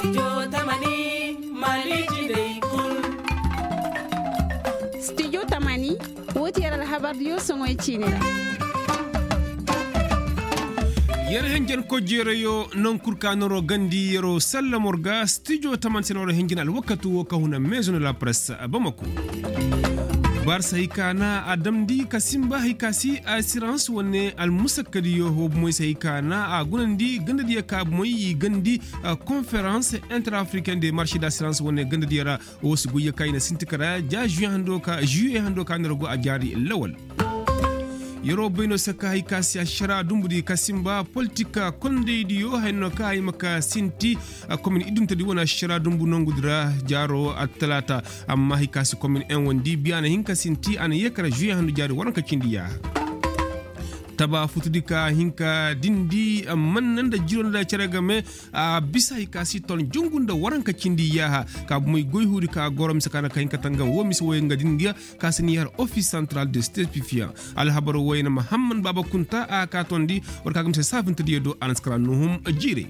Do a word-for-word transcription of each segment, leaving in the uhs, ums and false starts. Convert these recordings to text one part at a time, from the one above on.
Studio tamani, woo ti yer alhabardiyo soŋoy ciini ra. Yer henjen kojeerayo, naŋ kul ka noroo gandi yeroo sallamor ga studio tamani se noroo henjen alwakatu woo ka huna maison de la presse bamako. Barsa hay ka na a damndi ka sinba hay ka si asirans wane almusakkadiyo woo bumoy se hay ka na a gunandi gandadiyo ka bumoy i gandi konferans inter africain de marché d'asirans wane gandadiyo ra. Woo si goyyo ka i na sinti kara ja juye hando ka nera go a jaari lawal. Yeroo bay no saka hay ka si ašara dumbudi ka sinba politik kondaydiyo hay no ka ay ma ka sinti. Komin idumtadi wane ašara dumbu nongudi ra jaaro attalaata. Amma hay ka si komin en wandi biya na hin ka sinti a na yee kara juye hando jaari waranka cindi yaaha. Taba futudi ka hin ka dindi manna nda jiro nda cere game. A bisa hay ka si ton jungu nda waranka cindi yaaha ka bumey goy huudi ka goro mise ka na ka hin ka tangam woo mise woy nga din ga ka si ni har office central de statifian. Alhabar woy na mahamman baaba kunta a ka tondi war ka ga mise saafintadiyo do a na si kara nuhum jiirey.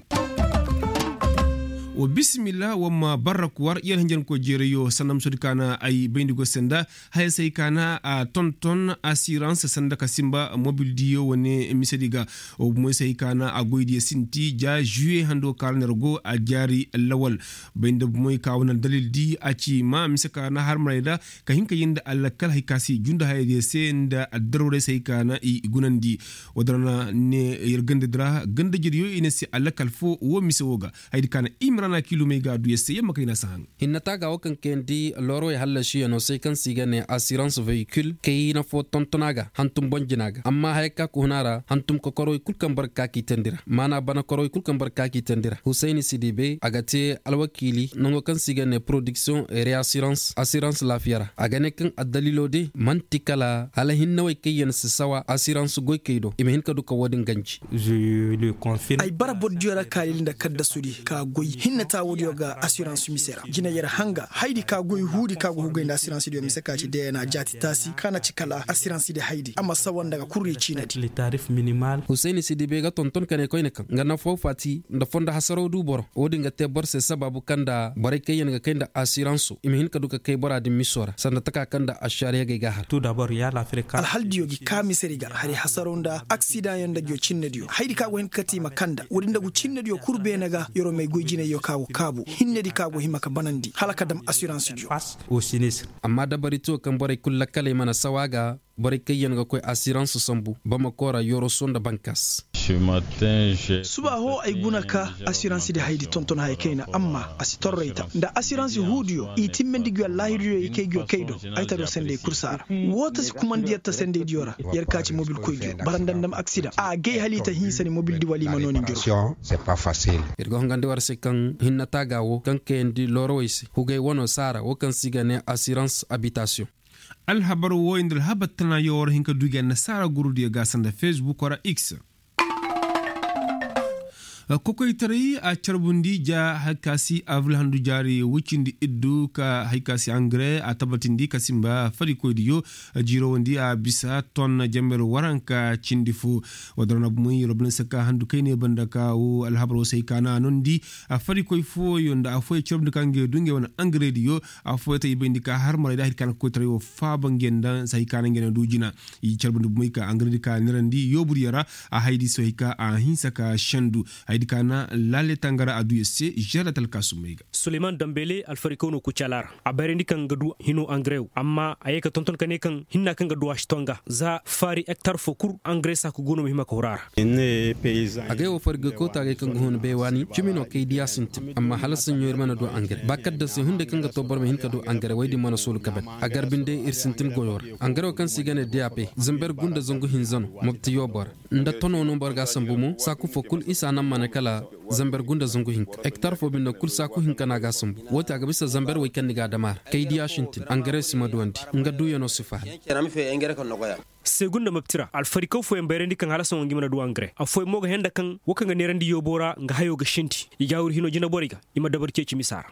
Wa bisimilla war ma barrak war yer hinjanko jeerayo sanda musodi ka na ay bayndi go se nda haya se hay ka na a tonton asirans sanda ka sinba mobildiyo wane misedi ga. Wa bumoy se hay ka na a goydiyo sinti ja juye hando ka ra ner go a jaari lawal. Bay nda bumoy ka wane aldalildi a ci ma mise ka na harmarayda ka hin ka yee nda alakal hay ka si junda hayadiyo se nda addarwarey se hay ka na i gunandi. Wadara na ne yer gandadi ra gandajediyo i ne se alakal foo woo mise woo ga. Hayadi ka na imrana kilumey ga a du yer se yer ma kay na si haŋ. Hinna taaga woo kaŋ kayandi loorawey hallasiyanoo se kaŋ se i ga ne asirans vehikil kayna foo tonton a ga hantum boŋ jina ga amma haya ka ka hun a ra hantum kokorowey kul kaŋ boro ga ka k'i teendi ra maana bana korowey kul kaŋ boro ga ka k'i teendi ra husayni sidibe a ga te alwakiili nango kaŋ se i ga ne porodiksiyoŋ reasirans asirans laafiya ra a ga ne kaŋ addaliiloo de man'ti kala hala hinnawey kaŋ yaŋ si sawa asirans goykey do i ma hin ka du ka woo din ganji. Ay bara bordiyo ra kaalil nda kaddasudi ka goy hinne taawodiyo ga asirans mise ra jine yer hanga haydi ka goy huudi ka go hugay nda asirans diyo mise ka ci dna jaati taasi ka na ci kala asirans di haydi a ma sawa nda ga kurri ciinadi. Husayni sidibe ga tonton ka ne koyne kaŋ nga nafoo faati nda fondo hasaroo du boro woo din ga te boro se sabaabu kaŋ nda borey kaŋ yaŋ ga kay nda asiransoo i ma hin ka du ka kay bora din misoo ra sanda taka kaŋ nda ašaariyagey ga a har. Alhaldiyo gi ka misedi ga hari hasaroo nda aksidaŋyaŋ nda ngiyo cinnediyo haydi ka go hin ka kate i ma kanda woodi nda gu cinnediyo kul beene ga yeroo may goy jinayyo ka go kaabu hinnedi ka go hima ka banandi hala ka dam asiransidiyo. Amma dabaritiyo kaŋ borey kul lakkaley mana sawa ga borey kaŋ yaŋ ga koy asirans sambu bamako ra yoroso nda bankas. Suba hoo ay guna ka asiransidi haydi tonton haya kayna amma a si torrayta nda asiransi huudiyo i timmandi ngiyo allaahirudiyo i kay ngiyo kay do ay taro senday kul saara woo ta si kumandi yer ta sendaydiyo ra yer ka ci mobilkoydiyo bara nda ndam aksidaŋ a gay hala i ta hinsa ni mobildi wala i ma noo ni njuru. Ir ga hongandi war se kaŋ hinna taaga woo kaŋ kayandi loorawey se hugay wanoo saara woo kaŋ se i ga ne asirans abitasiyoŋ. Alhabar wooyo nda alhabar tanaayoo war hin ka du gi annasaara gurudiyo ga sanda fesbukoo ra x. Kokoytaray a carbundi ja hari ka si avril handu jaari woy cindi iddu ka hari ka si angare a tabatindi ka sinba farikoydiyo jiirowandi a bisa ton jamber waranka cindi fo. Wadara na bumay robinansa ka handu kayne banda ka wo alhabar wo se hari ka na a nondi. Farikoy fooyo nda affooyo carbundi ka ngey du ngey wane angarediyo. Affooyo ta i bayndi ka har maray da hari ka na kokoytaray wo faaba ngey nda se hari ka na ngey na du jina. I carbundi bumay ka angaredi ka neerandi yooburyo ra. A haydi se hari ka a hinsa ka sendu. Haydi ka na laale tangara a du yer se žerdat alkaasumey ga. Suleyman dambele alfarikow no kucala ra. A bayrandi kaŋ ga du hino angare wo amma a ye ka tonton ka ne kaŋ hinna kaŋ ga du a si to nga za faari hektar fo kul angare saaku go no ma hima ka huru a ra. Agay wo fargay koota agay kaŋ ga hun baywaani cimi no kay diya sintin amma hala saɲɲo ir mana du angare ba kadda se hunday kaŋ ga to boro ma hin ka du angare way din mana soolu kabe. A gar binde ir sintin goyo ra. Angare wo kaŋ se i ga ne dap zamber gunda zangu hinza no mobti yoobo ra. Nda tono no boro ga a sambu mo saaku fo kul isa naŋ mana kala zamber gunda zangu hinka hektar fo binde kul saaku hinka no a ga a sambu. Wo ti a ga bisa zamber wey kaŋ ni ga a dam a ra kay diya sintin angare si ma duwandi. Nga duyano si faala. Segunda mapti ra alfarikaw fooyaŋ bayrandi kaŋ hala sohõ ngi mana du angare affooyaŋ mo ga henda kaŋ wo kaŋ ga neerandi yoobo ra nga hayo ga sinti. I ga a wuri hino jinaborey ga i ma dabari ceeci misa ra.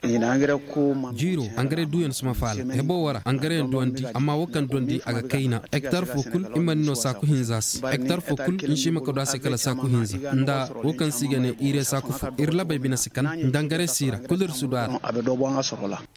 Jiiro angare duuyaŋ si ma faala hebo wo ra angare yaŋ duwandi amma wo kaŋ duwandi a ga kayna hektar fo kul i mana ni no saaku hinza se hektar fo kul ni si hima ka du a se kala saaku hinza nda wo kaŋ se i ga ne ire saaku. Kufu ir labey bine si kan nda ngare siira kul ir si du a ra.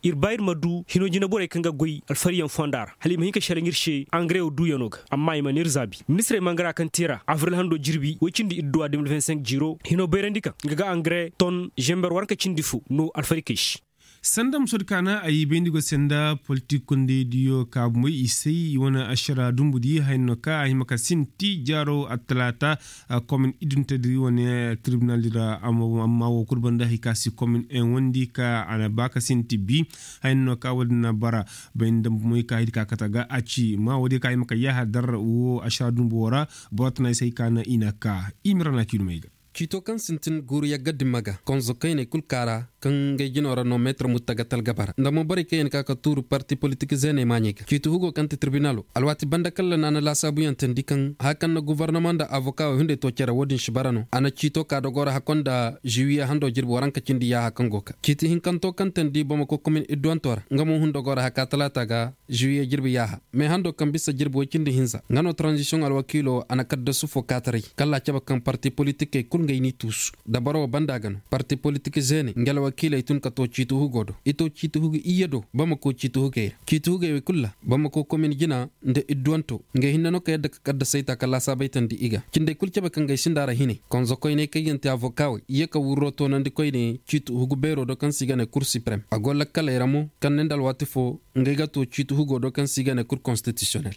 Ir ba ir ma du hino jineborey kaŋ ga goy alfariyaŋ fonda ra hala i ma hin ka shalaŋ ir se angare wo duuyano ga. Amma i mana ir zaabi ministirey mangara kaŋ te ra avril hando jirbi woy cindi idduwa de mil vingt cinq jiiro hino bayrandi kaŋ nga ga angare ton zember waranka cindi fo no alfarikey se. Sanda musoodi kaana ay bayndi go se nda politik kondaydiyo ka bomoy i say i wane ašara dumbu di haya no ka a hima ka sinti jaaro attalaata. Komin idunte di wane tirbinal di ra amma wo kul banda hay ka si komin en wandi ka a na ba ka sinti bi. Haya no ka wo- din na bara bay nda bomoy ka hay di ka kate ga a ci ma wo- din ka hima ka yaaha dar wo ašara dumbu wo ra. Boro tana ay se hay ka na i na ka i ma ra na kiidumey ga. Ciito kaŋ sintin guuru yagga dimma ga konzo kayney kul kaara kaŋ ngey jino ra no meetir mutta ga talgaba ra nda mo borey kaŋ yaŋ ka ka tuuru parti politik zeeney maaɲey ga ciiti hugo kaŋ ti tirbinalo alwaati banda kalla na a na laasaabuyaŋ teendi kaŋ haya kaŋ na gofornoma nda avoka wey hunday too cere wo- din si bara no a na ciito ka dogo ra hakko nda ziwiye hando jirbi waranka cindi yaaha kaŋ go ka ciiti hinkanto kaŋ teendi bamako komin idduwanto ra nga mo hun dogo ra haka talaata ga ziwiye jirbi yaaha. Mee hando kaŋ bisa jirbi woy cindi hinza nga no taranzisiyoŋ alwakiilo a na kaddasu fo kaataray kala a cabe kaŋ parti politikey kul nga ay n'i tuusu dabaro wo banda ga no parti politik zeene nga alwakiiley tun ka too ciiti hugo do i too ciiti hugo iyye do bamako ciiti hugey ra ciiti hugey wey kul ra bamako komin jina nda idduwanto nga ay hinne no ka yadda ka kaddasey ta ka laasaabey tandi i ga cindey kul cabe kaŋ ga ay sinda ra hiney konzokoyney kaŋ yaŋ te avokawey iyye ka wurro toonandi koyne ciiti hugu beero do kaŋ se i ga ne kur siprem a go lakkaley ra mo kaŋ ne nda alwaati fo nga ay ga too ciiti hugo do kaŋ se i ga ne kur konstitisiyonel.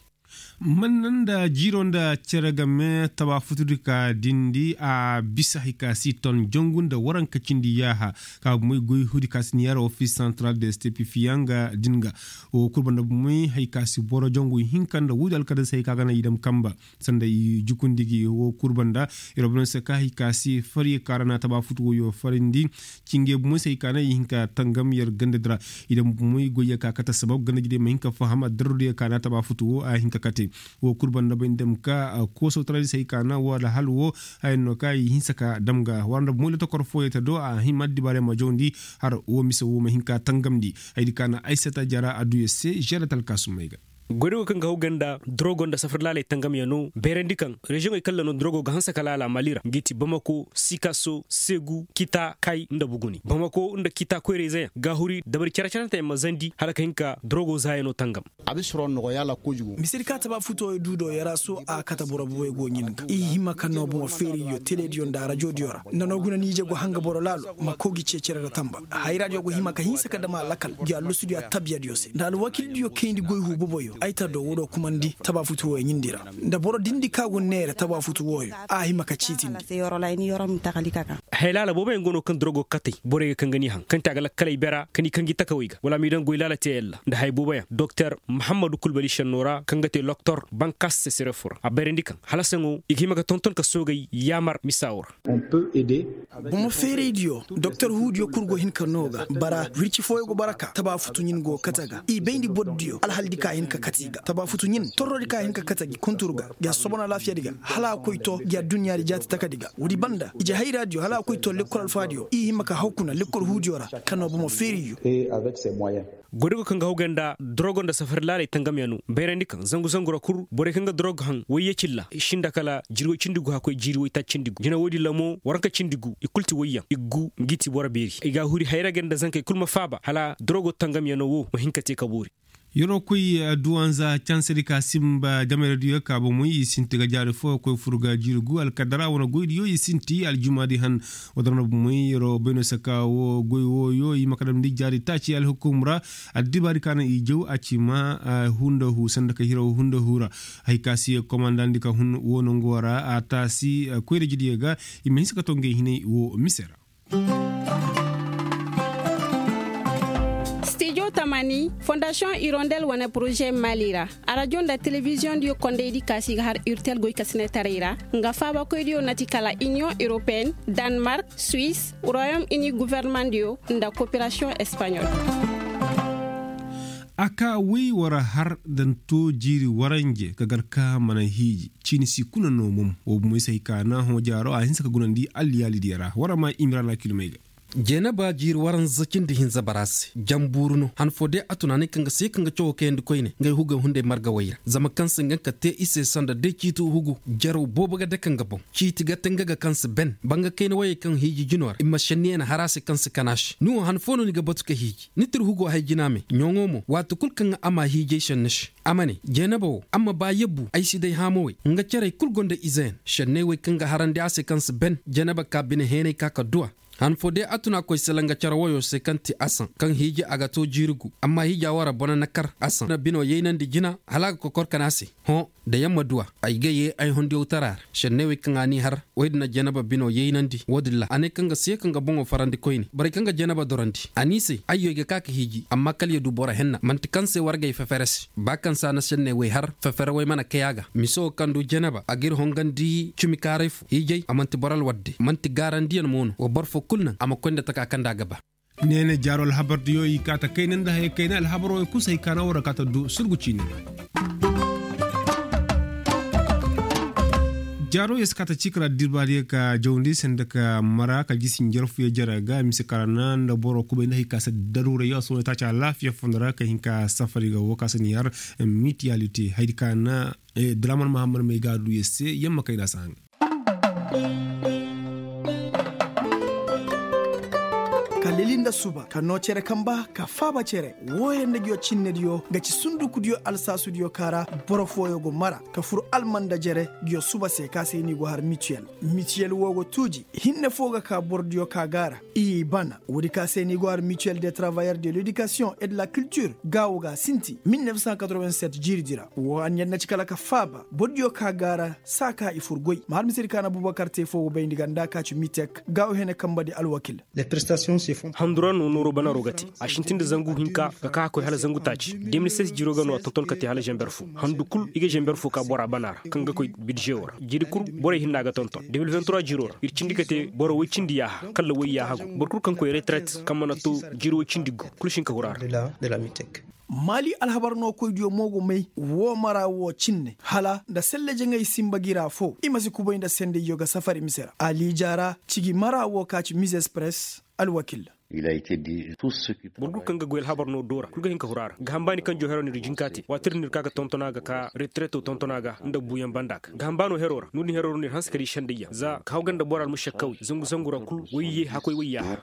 Manna nda jiiro nda cere game taba futudi ka dindi a bisa hay ka si ton jangu nda waranka cindi yaaha ka moy goy hudi ka si niyaara ofis santral de stepifiya nga din ga wo kul banda moy hay ka si boro jangu hinka nda wudi alkadasey ka ga na i dam kamba sanda i jukundi gi wo kul banda. Iro bano se ka hay ka si fari ka ra na taba futu woyo farindi. Cinge bumoy se hay ka na i hin ka tangam yer ganda dira. I dam bumoy goyya ka kate sabab ganda jide ma hin ka faham addarrudiyo ka na taba futu wo a hin ka kate. Wo kul banda bay ndam ka koosawtaradi se hay ka na wala hal wo hayan no ka i hinsa ka dam ga wala nda bumoy lotokor fooyo te do a hin ma addibaare ma jawndi. Har wo mise wo ma hin ka tangamndi. Haydi ka na aysata jara adduyo se žeelat alkaasumey ga. Goydogo kaŋ ga haw ganda dorogo nda safar laaley tangamyaŋo bayrandi kaŋ reziyoŋey kaŋ ra no dorogo ga hanse ka laala mali ra ngi ti bamako sikaso segu kita kay nda buguni bamako nda kita koyrayzeyaŋ ga huri dabari care-caranteyaŋ ma zandi hala ka hin ka dorogo zaayaŋo tangam. Misedi ka taba futuwey du do yaraso a kate boro bubey go ɲin ga i hima ka no bomo feeriyo telediyo nda rajodiyo ra nda no guna nije go hanga boro laalo ma kogi cecere ra tamba. Hayraadiyo go hima ka hinsa ka dama lakal gi allusudiyo attabiyadiyo se nda alwakildiyo kayndi goy hu boboyo ay ta do wo do kumandi taba futu wooyo ɲindi ra nda boro dindi ka go neere taba futu wooyo a hima ka ciitindi. Hay laala booboyaŋ go no kaŋ dorogo katey borey ga kaŋ ga ni haŋ kaŋ te a ga lakkaley bera ka ni kaŋ gi takawey ga wala a ma i daŋ goy laala teeyaŋ ra nda hay booboyaŋ doktor mahammadu kulbali šenno ra kaŋ ga te loktor bankas sesirefo ra a bayrandi kaŋ halasaŋo i ga hima ga tonton ka soogay yaamar misa wo ra. Bomo feeraydiyo doktor huudiyo kul go hin ka no ga bara wirci fooyo go bara ka taba futu ɲin go kate ga i bayndi bordiyo alhaldi ka hin ka kate i ga taba futu ɲin torrodi ka hin ka kate gi kuntur ga gi a sobon alaafiyadi ga hala a koy to gi adduɲɲaadi jaati takadi ga woodi banda ije hayraadiyo hala a koy to lekkol alfaadiyo i hima ka haw kuna lekkol huudiyo ra ka no bomo feeraydiyo. Goydogo kaŋ ga haw ganda dorogo nda safari laaley tangamyaŋo bayrandi kaŋ zangu zangu ra kul borey kaŋ ga dorogo haŋ wayye cilla i sinda kala jiri woy cindi gu hakkoy jiiri woy taaci cindi gu jina woodin ra mo waranka cindi gu i kul ti wayyaŋ i gu ngi ti boro beeri i ga a huri hayra ganda zankey kul ma faaba hala dorogo tangamyaŋo wo ma hin ka te ka boori. Yeroo koy duwanza cansedi ka sinba jamerediyo ka bomoy i sinti ga jaari fo koy fur ga jiiri gu alkadara wane goydiyo i sinti aljumaadi han. Wadara na bomoy yeroo bayno saka wo goy wooyo i ma ka damndi jaari taaci alhukum ra. Addibaadi ka na i jaw a ci ma hunda hu sanda ka hiraw hunda hu ra. Hay ka si komandandi ka hun wo nongo ra a taasi koyra jidiyo ga i ma hinsa ka to ngey hinay wo mise ra. Stijo tamani fondasiyoŋ irondel wane poroze mali ra. Arajo nda telebiziyoŋ diyo kondaydi kaasi ga har urtel goy kasinetaray ra nga faabakoydiyo na ti kala iniyoŋ europeen, danmark, suwis, royom ini guvernemandiyo nda koperasiyoŋ espaɲol. A ka woy war har da ni to jiiri waranje ka gar ka mana hiiji. Ciini si kuna no mom wo bumoy se hay ka na hõ jaaro a hinsa ka gunandi alliyaalidiyo ra war ma imira na kilomey ga. Jeenaba jiiri waranza cindi hinza bara se janbuuru no han foo day a tun a ne kaŋ ga se kaŋ ga cawo kayandi koyne ngey hugey hunday margawey ra zama kaŋ se nga ka te i se sanda day ciiti hugu. Jaraw boobo ga dake nga boŋ ciiti ga te nga ga kaŋ si ben banga kayna wayey kaŋ hiiji jino ra i ma šenni ya na har a se kaŋ si kan a se ni wo han foo no ni ga batu ka hiiji ni tir hugo hay jina me ɲoŋo mo waati kul kaŋ a ma hiijay šenni se. A ma ne jeenaba wo a ma ba yabbu ay si day haamawey nga cerey kul gonda izeyaŋ šenney wey kaŋ ga harandi a se kaŋ si ben jeenaba ka bine heenay ka ka duwa. Han foo day a tun a koy selaŋ ga cere woyo se kaŋ ti asaŋ kaŋ hiiji a ga to jiiri gu amma hiija wo ra bone na kar asaŋ na bino yaynandi jina hala a ga kokor kan a se. Hõ da yaŋ ma duwa ay ga ye ay hondiyawtara ra šenney wey kaŋ a n'i har woy din na jeenaba bino yaynandi wo-din ra a ne kaŋ ga si ye kaŋ ga boŋo farandi koyne borey kaŋ ga jeenaba dorandi a n'i se ayyo ay ga ka ka hiiji amma kala ya du boro henna man'ti kaŋ se wargey fefere se ba kaŋ se a na šenney wey har fefere wey mana kay a ga mise wo kaŋ du jeenaba a g'ir hongandi cimi kaaray fo hiijay a man'ti boro alwadde man'ti gaarandiyaŋ mo no wa boro foo kul naŋ a ma koy nda taka kaŋ nda a ga ba. Neene jaaro alhabardiyo i kaata kayna nda haya kayna alhabaroo i kusa i kaana war a kaata du surgu ciini ra. Jaaro ya si kaata ciika ra dirbaadiyo ka jawndi se nda ka mara ka jisi njarfuyo jara ga mise karana nda boro kubay nda hay ka se daruurayo a sohõ taaci alaafiya fondo ra ka hin ka safari ga wo ka se ni har mitiyalite haydi kaana. Draman mahammad may ga a du ya se yamma kayna se haŋ. Ka leli nda suba ka noo cere kamba ka faaba cere wooyo nda nguyo cinnediyo ga ci sundukudiyo alsaasudiyo ka ra boro fooyo go mara ka fur alman nda jere nguyo suba se ka se ni go har mitiyel. Mitiyel woo go tuuji hinne foo ga ka borodiyo ka gaara i bana woodi ka se ni go har mitiyel de travayeur de ledikasiyoŋ et de la kiltir gaawo ga a sinti mil nef san katrowen set jiiridi ra woo anniya na ci kala ka faaba borodiyo ka gaara saa ka i fur goy ma har misedi ka na bubakar te foo go bayndi ga nda ka ci mitek gaawo hene kambadi alwakil. Handura no nooro banaro ga te a sintin nda zangu hinka ga ka a koy hala zangu taaci de mil ses jiiro ga no a tonton ka te hala zamber fo handu kul i ga zamber fo ka bora bana ra kaŋ ga koy bidizewo ra jiiri kul borey hinna ga tonton de mil vingt trois jiiro ra ir cindi ka te boro woy cindi yaaha kalla woy yaaha go boro kul kaŋ koy retret kaŋ mana to jiiri woy cindi go kul si hin ka huru a ra. Maali alhabar no koydiyo mo go may woo mara woo cinne hala nda selle jaŋay sinba gira fo i ma si kubay nda sendayyo ga safari mise ra ali jaara cigi mara woo ka ci mize express. Alwakil. Boro kul kaŋ ga goy alhabar no doora kul ga hin ka huru a ra gahambaani kaŋ joo hero no ir jinka te waati ir no ir ka ga tontona ga ka retreto tontona ga nda buuyaŋ banda ga gahambaano hero ra no din hero ra no ir hanse ka di sendayyaŋ za ka haw ga nda bora almušakkawey zangu zangu ra kul wayye hakkoy wayya.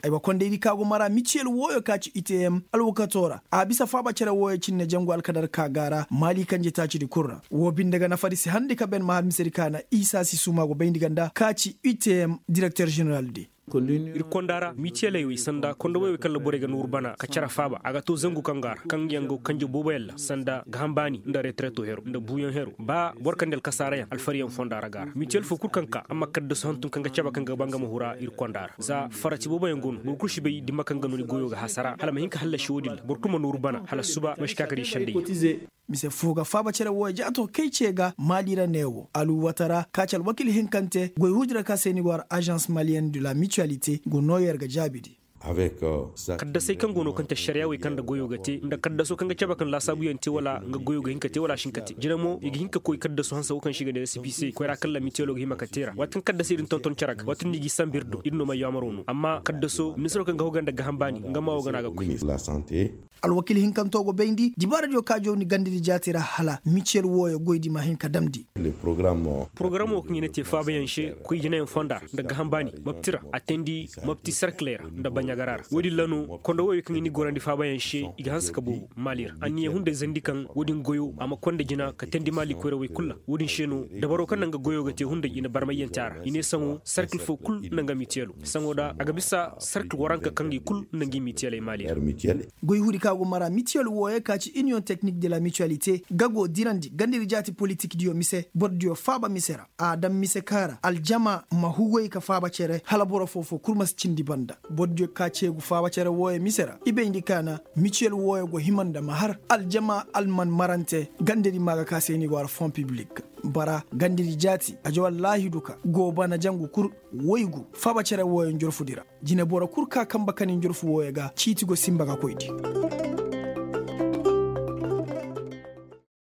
Aywa kondaydi ka go mara mitiyel wooyo ka ci itm alwakato ra a bisa faaba cere wooyo cinne jangu alkadar ka ga a ra maali kanje taacidi kul ra woo binde ga nafadi se handi ka ben ma har misedi ka na isa si suuma go bayndi ga nda ka ci itm direkter ženeraldi. Ir konda ra mitiyeley wey sanda konda wey wey kaŋ ra borey ga nooru bana ka cere faaba a ga to zangu kaŋ ga a ra kaŋ yaŋ go kanje booboyaŋ ra sanda gahambaani nda retreto hero nda buuyaŋ hero ba boro kaŋ di alkasaarayaŋ alfariyaŋ fonda ra ga a ra mitiyel foo kul kaŋ ka a ma kaddasu hantum kaŋ ga cabe kaŋ ga ba nga ma hura ir konda ra za farati booboyaŋ go no boro kul si bay dimma kaŋ ga no ni goyo ga hasara hala ma hin ka hallasi wo-din ra boro kul ma nooru bana hala suba ma si ka ka di sendayyaŋ. Mise foo ga faaba cere wooyo jaato kay ce ga maali ra neewo aluwata ra ka ci alwakil hinkante goy huudi ra ka se ni go har agence malienne de la mutualité go noo yer ga jaabidi. Kaddasey kaŋ go no kaŋ te ašariyaa wey kaŋ nda goyo ga te nda kaddaso kaŋ ga cabe kaŋ laasaabuyaŋ te wala nga goyo ga hin ka te wala a si hin ka te jina mo i ga hin ka koy kaddaso hanse wo kaŋ se i ga ne resipi se koyra kaŋ ra mitiyelo ga hima ka te ra waati kaŋ kaddasey din tonton cere ga waati din no i g'i sambu ir do ir no may yaamaro no amma kaddaso ministiro kaŋ ga haw ga nda gahambaani nga ma wo ga no a ga koy. Alwakil hinkanto go bayndi dibaaradiyo ka jawni gandadi jaati ra hala mitiyel wooyo goydi ma hin ka damndi. Porogaramoo kaŋ i na te faabayaŋ se koy jinayaŋ fonda ra nda gahambaani mapti ra a teendi mapti serkiley ra nda baɲagara ra woodin ra no konda wooyo kaŋ i na i gorandi faabayaŋ se i ga hanse ka boobo maali ra anniya hunday zandi kaŋ woodin goyo a ma konda jina ka teendi maali koyrawey kul ra woodin se no dabaroo kaŋ naŋ ga goyo ga te hunday i na barmayyante a ra i ne saŋo serkil foo kul nda nga mitiyelo saŋo da a ga bisa serkil waranka kaŋ i kul nda ngi mitiyeley maali ra. Goy huudi ka go mara mitiyel wooyo ka ci iniyoŋ teknik de la mituwalite ga go dirandi gandiri jaati politikdiyo mise borodiyo faaba mise ra a daŋ mise ka ra aljama ma hugoy ka faaba cere hala boro foo-foo kul ma si cindi banda borodiyo ka ceegu faaba cere wooyo mise ra i bayndi kaana mitiyel wooyo go hima nda ma har aljama alman marante gandiri ma ga ka se ni go har fon piblik bara gandiri jaati a jawal laahidu ka go bana jangu kul woygu faaba cere wooyo njorfudi ra jineboro kul ka kamba kani njorfu wooyo ga ciiti go sinba ga koydi.